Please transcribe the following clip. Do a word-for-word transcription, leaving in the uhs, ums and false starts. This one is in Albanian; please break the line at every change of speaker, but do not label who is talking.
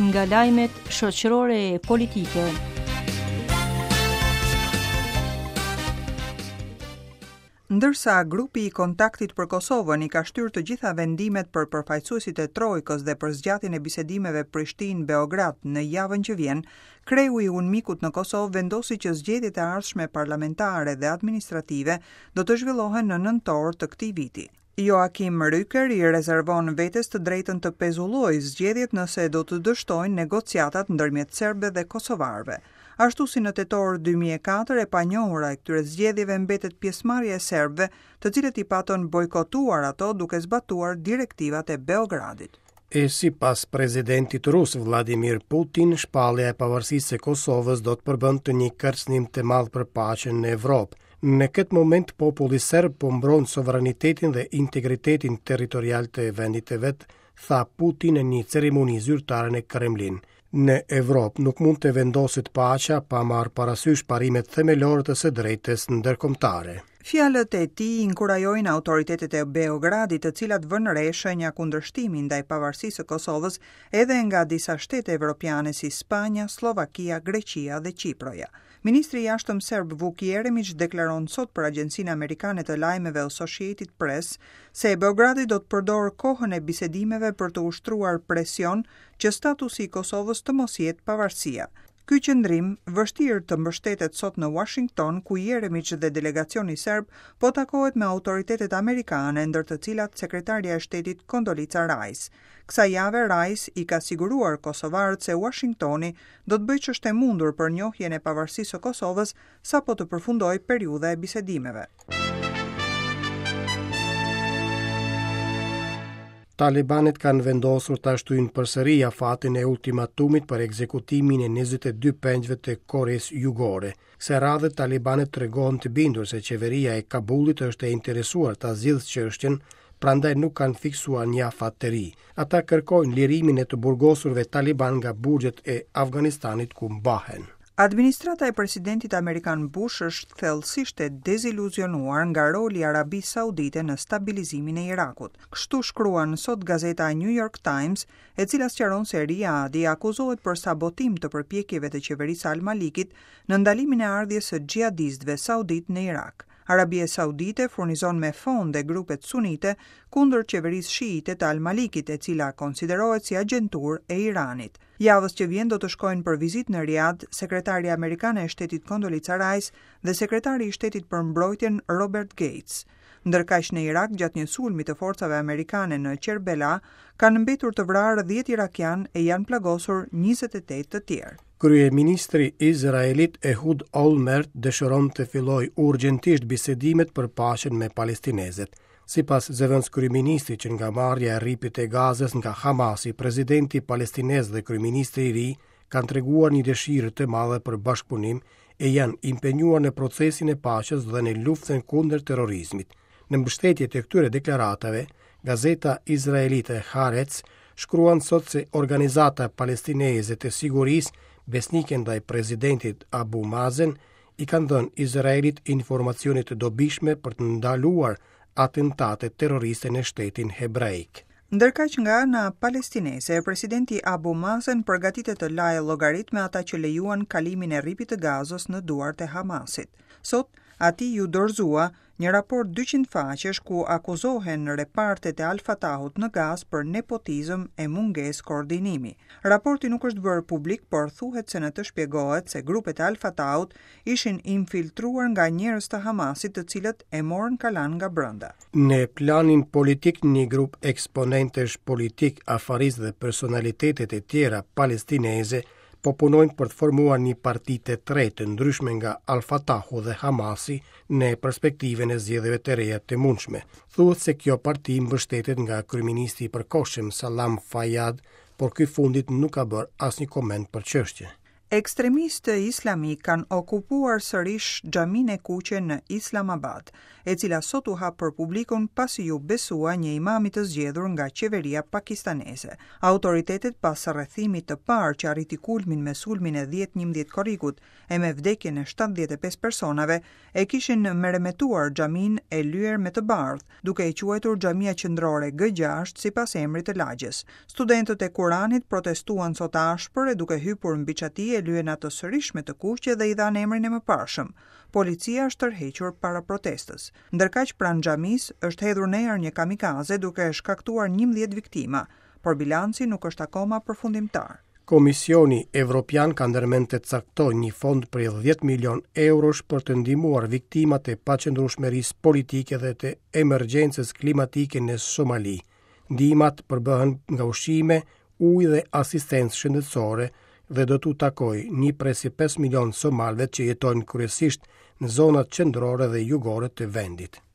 Nga lajmet shoqërore e politike.
Ndërsa grupi i kontaktit për Kosovën i ka shtyrë të gjitha vendimet për përfaqësuesit e Trojkës dhe për zgjatjen e bisedimeve Prishtinë-Beograd në javën që vjen, kreu i UNMIK-ut në Kosovë vendosi që zgjedhjet e ardhshme parlamentare dhe administrative do të zhvillohen në nëntor të këtij viti. Joachim Rücker i rezervon vetes të drejtën të pezullojë zgjedhjet nëse do të dështojnë negociatat ndërmjet serbëve dhe kosovarëve. Ashtu si në tetor dy mijë e katër, e panjohura e këtyre zgjedhjeve mbetet pjesëmarrja e serbëve, të cilët i patën bojkotuar ato duke zbatuar direktivat e Beogradit.
E sipas presidentit rus Vladimir Putin, shpallja e pavarësisë së Kosovës do të përbënte një kërcënim të madh për paqen në Evropë. Në këtë moment populli serb po mbron sovranitetin dhe integritetin territorial të vendit të vet, tha Putin në një ceremoni zyrtare në Kremlin. Në Evropë nuk mund të vendoset paqja pa marrë parasysh parimet themelore të së drejtës ndërkombëtare.
Fjalët e tij inkurajojnë autoritetet e Beogradit, të cilat vënë re shenja kundërshtimi ndaj pavarësisë së Kosovës edhe nga disa shtete evropiane si Spanja, Sllovakia, Greqia dhe Qiproja. Ministri i Jashtëm serb Vuk Jeremić deklaron sot për Agjencinë Amerikane të Lajmeve Associated Press se Beogradi do të përdorë kohën e bisedimeve për të ushtruar presion që statusi i Kosovës të mos jetë pavarësia. Ky qëndrim vështirë të mbështetet sot në Washington, ku Jeremić dhe delegacioni serb po takohet me autoritetet amerikane, ndër të cilat sekretarja e shtetit Condoleezza Rice. Kësaj jave Rice i ka siguruar kosovarët se Washingtoni do të bëjë ç'është e mundur për njohjen e pavarësisë së Kosovës sapo të përfundojë periudha e bisedimeve.
Talibanët kanë vendosur ta shtyjnë përsëri afatin e ultimatumit për ekzekutimin e njëzet e dy pengjve të Koresë Jugore. Kësaj radhe talibanët tregohen të bindur se qeveria e Kabulit është e interesuar ta zgjidhë çështjen, prandaj nuk kanë fiksuar një afat të ri. Ata kërkojnë lirimin e të burgosurve taliban nga burgjet e Afganistanit ku mbahen.
Administrata e presidentit amerikan Bush është thellësisht e deziluzionuar nga roli i Arabisë Saudite në stabilizimin e Irakut. Kështu shkruan sot gazeta New York Times, e cila sqaron se Riyadi akuzohet për sabotim të përpjekjeve të qeverisë Al-Malikit në ndalimin e ardhjes së xhihadistëve saudit në Irak. Arabia Saudite furnizon me fonde grupet sunite kundër qeverisë shiite të Al-Malikit, e cila konsiderohet si agjenturë e Iranit. Javës që vjen do të shkojnë për vizitë në Riyadh sekretari amerikane e shtetit Condoleezza Rice dhe sekretari i shtetit për mbrojtjen Robert Gates. Ndërkaq në Irak, gjatë një sulmi të forcave amerikane në Qerbela, kanë mbetur të vrarë dhjetë irakian e janë plagosur njëzet e tetë të tjerë.
Kryeministri izraelit Ehud Olmert dëshiron të fillojë urgjentisht bisedimet për paqen me palestinezët. Sipas zëvendëskryeministrit që nga marrja e rripit të Gazës nga Hamasi, presidenti palestinez dhe kryeministri i ri kanë treguar një dëshirë të madhe për bashkëpunim e janë impenjuar në procesin e paqes dhe në luftën kundër terrorizmit. Në mbështetje të këtyre deklaratave, gazeta izraelite Haaretz shkruan sot se organizata palestineze të sigurisë besnike ndaj presidentit Abu Mazen i kanë dhënë Izraelit informacione të dobishme për të ndaluar atentatet terroriste në shtetin hebraik.
Ndërkaq nga ana palestineze, presidenti Abu Mazen përgatitet të lajë llogarit me ata që lejuan kalimin e rripit të Gazës në duart e Hamasit. Sot, atij ju dorëzua një raport dyqind faqesh ku akuzohen repartet e Al-Fatahut në Gazë për nepotizëm e mungesë koordinimi. Raporti nuk është bërë publik, por thuhet se në të shpjegohet se grupet e Al-Fatahut ishin infiltruar nga njerëz të Hamasit, të cilët e morën kalan nga brenda.
Në planin politik, një grup eksponentësh politik, afarist dhe personalitetet e tjera palestineze po punojnë për të formuar një parti të tretë të ndryshme nga Al-Fatahu dhe Hamasi në perspektivën e zgjedhjeve të reja të mundshme. Thuhet se kjo parti mbështetet nga kryeministri i përkohshëm Salam Fayyad, por ky fundit nuk ka bërë asnjë koment për çështjen.
Ekstremistë islamik kanë okupuar sërish xhaminë e kuqe në Islamabad, e cila sot u hap për publikun pasi iu besua një imami të zgjedhur nga qeveria pakistaneze. Autoritetet pas rrethimit të parë që arriti kulmin me sulmin e dhjetë njëmbëdhjetë korrikut e me vdekjen e shtatëdhjetë e pesë personave, e kishin meremetuar xhaminë e lyer me të bardhë, duke e quajtur xhamia qendrore G gjashtë sipas emrit të lagjes. Studentët e Kuranit protestuan sot ashpër e duke hypur mbi çati e lyen atë sërish me të kuqe dhe i dhanë emrin e mëparshëm. Policia është tërhequr para protestës. Ndërkaq, pranë xhamisë është hedhur në erë një kamikaze, duke shkaktuar njëmbëdhjetë viktima, por bilanci nuk është akoma përfundimtar.
Komisioni Evropian ka ndërmend të caktojë një fond prej dhjetë milion eurosh për të ndihmuar viktimat e paqëndrueshmërisë politike dhe të emergjencës klimatike në Somali. Ndihmat përbëhen nga ushqime, ujë dhe asistencë shëndetësore dhe do t'u takojë një pikë pesë milion somalëve që jetojnë kryesisht në zonat qendrore dhe jugore të vendit.